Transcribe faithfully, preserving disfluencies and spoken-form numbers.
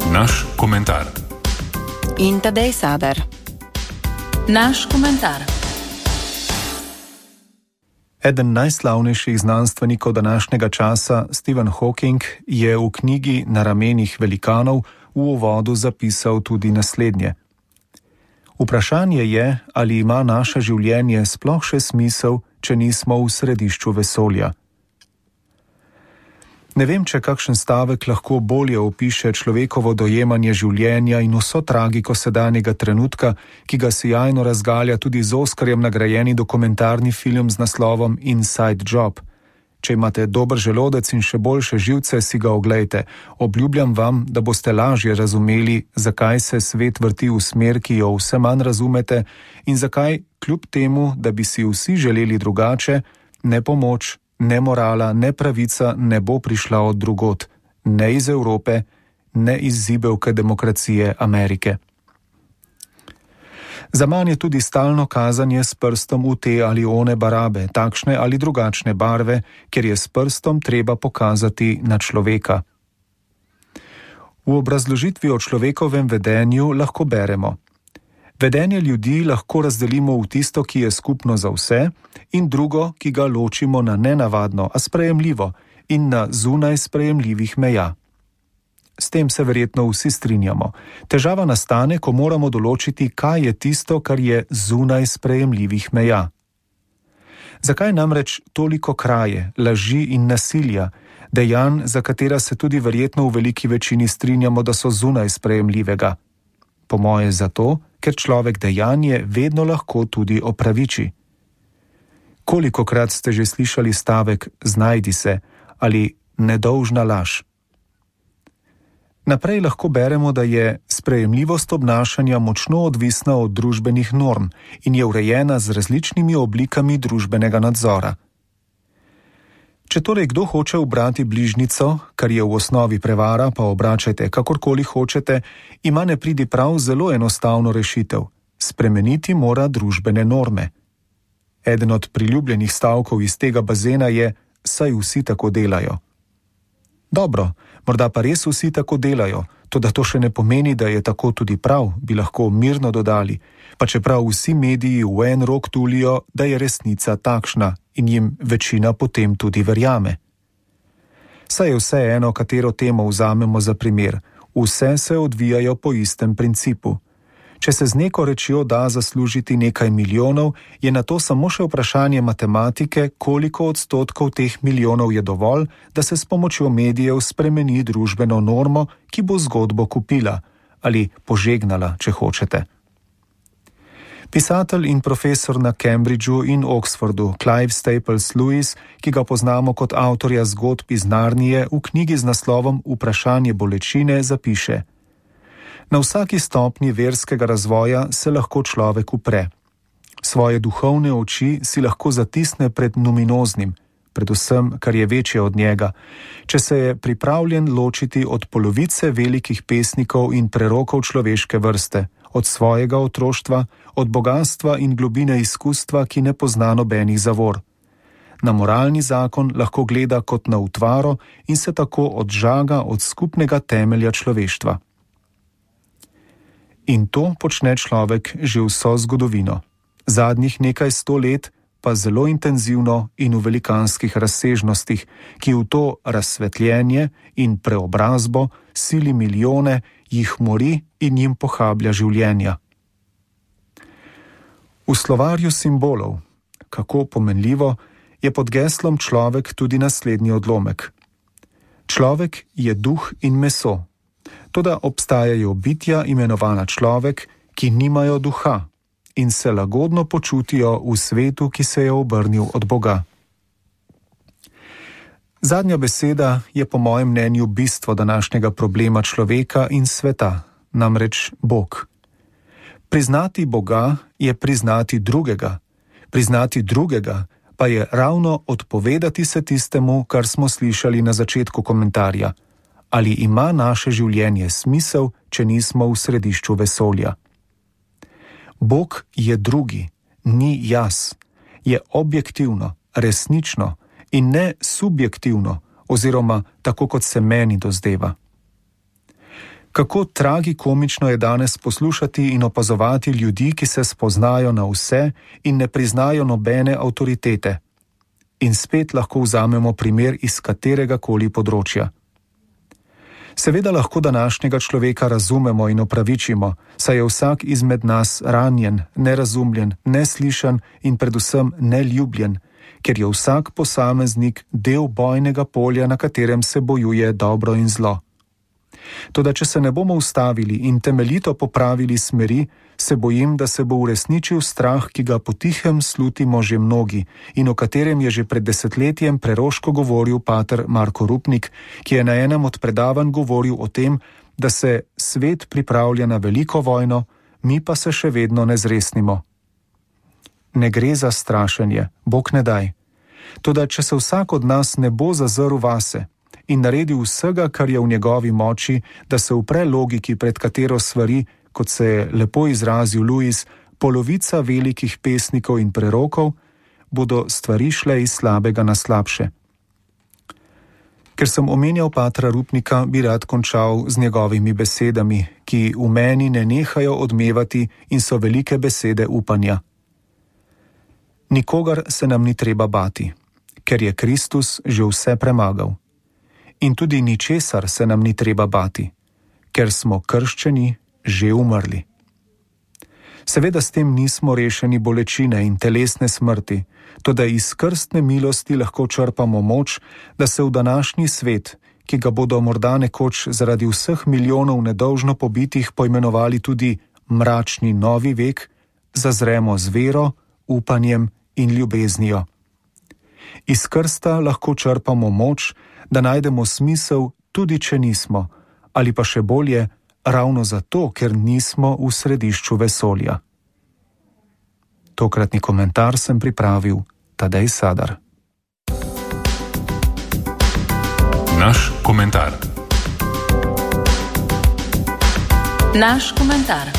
Naš komentar. In Tadej Sadar. Naš komentar. Eden najslavnejših znanstvenikov današnjega časa, Stephen Hawking, je v knjigi Na ramenih velikanov v uvodu zapisal tudi naslednje. Vprašanje je, ali ima naše življenje sploh še smisel, če nismo v središču vesolja. Ne vem, če kakšen stavek lahko bolje opiše človekovo dojemanje življenja in vso tragiko sedanjega trenutka, ki ga sijajno razgalja tudi z Oskarjem nagrajeni dokumentarni film z naslovom Inside Job. Če imate dober želodec in še boljše živce, si ga oglejte. Obljubljam vam, da boste lažje razumeli, zakaj se svet vrti v smer, ki jo vse manj razumete, in zakaj, kljub temu, da bi si vsi želeli drugače, ne pomoč, ne morala, ne pravica ne bo prišla od drugod, ne iz Evrope, ne iz zibelke demokracije Amerike. Zaman je tudi stalno kazanje s prstom v te ali one barabe, takšne ali drugačne barve, ker je s prstom treba pokazati na človeka. V obrazložitvi o človekovem vedenju lahko beremo: vedenje ljudi lahko razdelimo v tisto, ki je skupno za vse, in drugo, ki ga ločimo na nenavadno, a sprejemljivo in na zunaj sprejemljivih meja. S tem se verjetno vsi strinjamo. Težava nastane, ko moramo določiti, kaj je tisto, kar je zunaj sprejemljivih meja. Zakaj namreč toliko kraje, laži in nasilja, dejanj, za katera se tudi verjetno v veliki večini strinjamo, da so zunaj sprejemljivega? Po moje zato, ker človek dejanje vedno lahko tudi opraviči. Kolikokrat ste že slišali stavek znajdi se ali nedolžna laž? Naprej lahko beremo, da je sprejemljivost obnašanja močno odvisna od družbenih norm in je urejena z različnimi oblikami družbenega nadzora. Če torej kdo hoče ubrati bližnjico, kar je v osnovi prevara, pa obračajte kakorkoli hočete, ima nepridiprav zelo enostavno rešitev. Spremeniti mora družbene norme. Eden od priljubljenih stavkov iz tega bazena je: saj vsi tako delajo. Dobro, morda pa res vsi tako delajo, toda to še ne pomeni, da je tako tudi prav, bi lahko mirno dodali, pa čeprav vsi mediji v en rok tulijo, da je resnica takšna in jim večina potem tudi verjame. Saj je vse eno, katero temo vzamemo za primer, vse se odvijajo po istem principu. Če se z neko rečjo da zaslužiti nekaj milijonov, je na to samo še vprašanje matematike, koliko odstotkov teh milijonov je dovolj, da se s pomočjo medijev spremeni družbeno normo, ki bo zgodbo kupila ali požegnala, če hočete. Pisatelj in profesor na Cambridgeu in Oxfordu Clive Staples Lewis, ki ga poznamo kot avtorja zgodb iz Narnije, v knjigi z naslovom Vprašanje bolečine zapiše: na vsaki stopnji verskega razvoja se lahko človek upre. Svoje duhovne oči si lahko zatisne pred numinoznim, predvsem, kar je večje od njega, če se je pripravljen ločiti od polovice velikih pesnikov in prerokov človeške vrste, od svojega otroštva, od bogastva in globine izkustva, ki ne pozna nobenih zavor. Na moralni zakon lahko gleda kot na utvaro in se tako odžaga od skupnega temelja človeštva. In to počne človek že vso zgodovino. Zadnjih nekaj sto let pa zelo intenzivno in v velikanskih razsežnostih, ki v to razsvetljenje in preobrazbo sili milijone, jih mori in jim pohablja življenja. V slovarju simbolov, kako pomenljivo, je pod geslom človek tudi naslednji odlomek. Človek je duh in meso. Toda obstajajo bitja imenovana človek, ki nimajo duha in se lagodno počutijo v svetu, ki se je obrnil od Boga. Zadnja beseda je po mojem mnenju bistvo današnjega problema človeka in sveta, namreč Bog. Priznati Boga je priznati drugega, priznati drugega pa je ravno odpovedati se tistemu, kar smo slišali na začetku komentarja. Ali ima naše življenje smisel, če nismo v središču vesolja? Bog je drugi, ni jaz, je objektivno, resnično in ne subjektivno, oziroma tako, kot se meni dozdeva. Kako tragikomično je danes poslušati in opazovati ljudi, ki se spoznajo na vse in ne priznajo nobene avtoritete. In spet lahko vzamemo primer iz katerega koli področja. Seveda lahko današnjega človeka razumemo in opravičimo, saj je vsak izmed nas ranjen, nerazumljen, neslišan in predvsem neljubljen, ker je vsak posameznik del bojnega polja, na katerem se bojuje dobro in zlo. Toda če se ne bomo ustavili in temeljito popravili smeri, se bojim, da se bo uresničil strah, ki ga potihem slutimo že mnogi in o katerem je že pred desetletjem preroško govoril pater Marko Rupnik, ki je na enem od predavanj govoril o tem, da se svet pripravlja na veliko vojno, mi pa se še vedno ne zresnimo. Ne gre za strašenje, Bog ne daj. Toda če se vsak od nas ne bo zazrl vase in naredil vsega, kar je v njegovi moči, da se upre logiki, pred katero svari, kot se je lepo izrazil Lewis, polovica velikih pesnikov in prerokov, bodo stvari šle iz slabega na slabše. Ker sem omenjal patra Rupnika, bi rad končal z njegovimi besedami, ki v meni ne nehajo odmevati in so velike besede upanja. Nikogar se nam ni treba bati, ker je Kristus že vse premagal. In tudi ničesar se nam ni treba bati, ker smo krščeni že umrli. Seveda s tem nismo rešeni bolečine in telesne smrti, toda iz krstne milosti lahko črpamo moč, da se v današnji svet, ki ga bodo morda nekoč zaradi vseh milijonov nedolžno pobitih poimenovali tudi mračni novi vek, zazremo z vero, upanjem in ljubeznijo. Iz krsta lahko črpamo moč, da najdemo smisel, tudi če nismo, ali pa še bolje, ravno zato, ker nismo v središču vesolja. Tokratni komentar sem pripravil Tadej Sadar. Naš komentar. Naš komentar.